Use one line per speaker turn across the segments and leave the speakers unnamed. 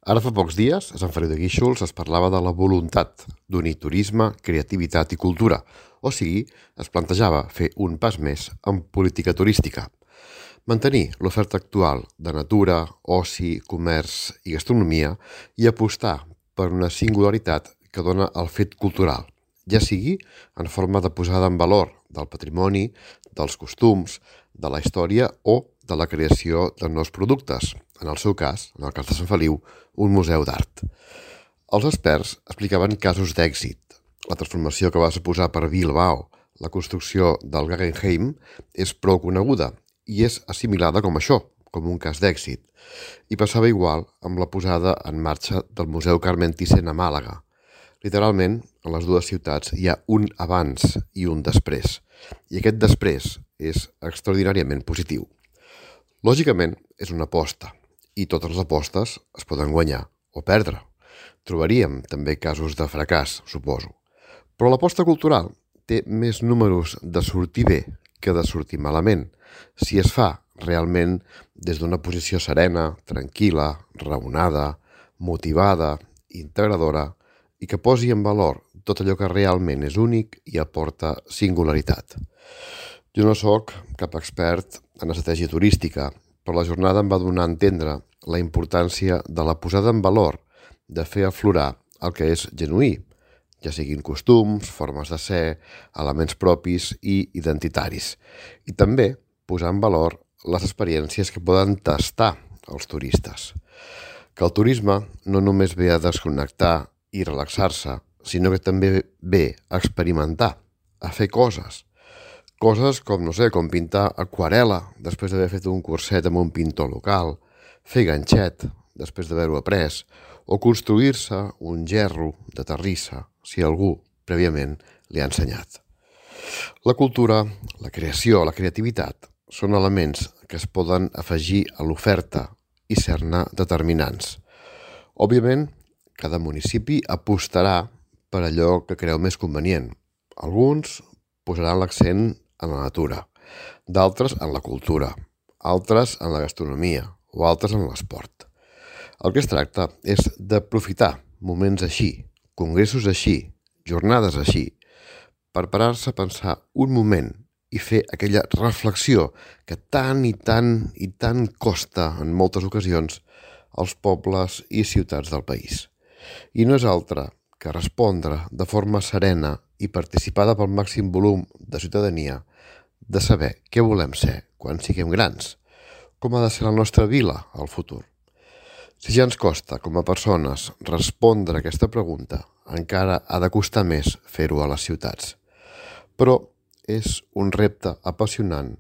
Ara fa pocs dies, a Sant Feliu de Guíxols es parlava de la voluntat d'unir turisme, creativitat i cultura, o sigui, es plantejava fer un pas més en política turística. Mantenir l'oferta actual de natura, oci, comerç i gastronomia i apostar per una singularitat que dona el fet cultural, ja sigui en forma de posada en valor del patrimoni, dels costums, de la història o de la creació de nous productes, en el seu cas, en el cas de Sant Feliu, un museu d'art. Els experts explicaven casos d'èxit. La transformació que va suposar per Bilbao la construcció del Guggenheim és prou coneguda i és assimilada com això, com un cas d'èxit. I passava igual amb la posada en marxa del Museu Carmen Thyssen a Màlaga. Literalment, en les dues ciutats hi ha un abans i un després. I aquest després és extraordinàriament positiu. Lògicament, és una aposta, i totes les apostes es poden guanyar o perdre. Trobaríem també casos de fracàs, suposo. Però l'aposta cultural té més números de sortir bé que de sortir malament, si es fa realment des d'una posició serena, tranquil·la, raonada, motivada, integradora i que posi en valor tot allò que realment és únic i aporta singularitat. Jo no sóc cap expert en estratègia turística, però la jornada em va donar a entendre la importància de la posada en valor, de fer aflorar el que és genuí, ja siguin costums, formes de ser, elements propis i identitaris. I també posar en valor les experiències que poden tastar els turistes. Que el turisme no només ve a desconnectar i relaxar-se, sinó que també ve a experimentar, a fer coses. Coses com, no sé, com pintar aquarel·la després d'haver fet un curset amb un pintor local, fer ganxet després d'haver-ho après, o construir-se un gerro de terrissa si algú prèviament li ha ensenyat. La cultura, la creació, la creativitat són elements que es poden afegir a l'oferta i ser-ne determinants. Òbviament, cada municipi apostarà per allò que creu més convenient. Alguns posaran l'accent en la natura, d'altres en la cultura, altres en la gastronomia o altres en l'esport. El que es tracta és d'aprofitar moments així, congressos així, jornades així, per parar-se a pensar un moment i fer aquella reflexió que tant i tant costa en moltes ocasions als pobles i ciutats del país. I no és altra que respondre de forma serena i participada pel màxim volum de ciutadania de saber què volem ser quan siguem grans, com ha de ser la nostra vila al futur. Si ja ens costa, com a persones, respondre a aquesta pregunta, encara ha de costar més fer-ho a les ciutats. Però és un repte apassionant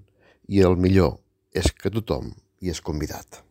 i el millor és que tothom hi és convidat.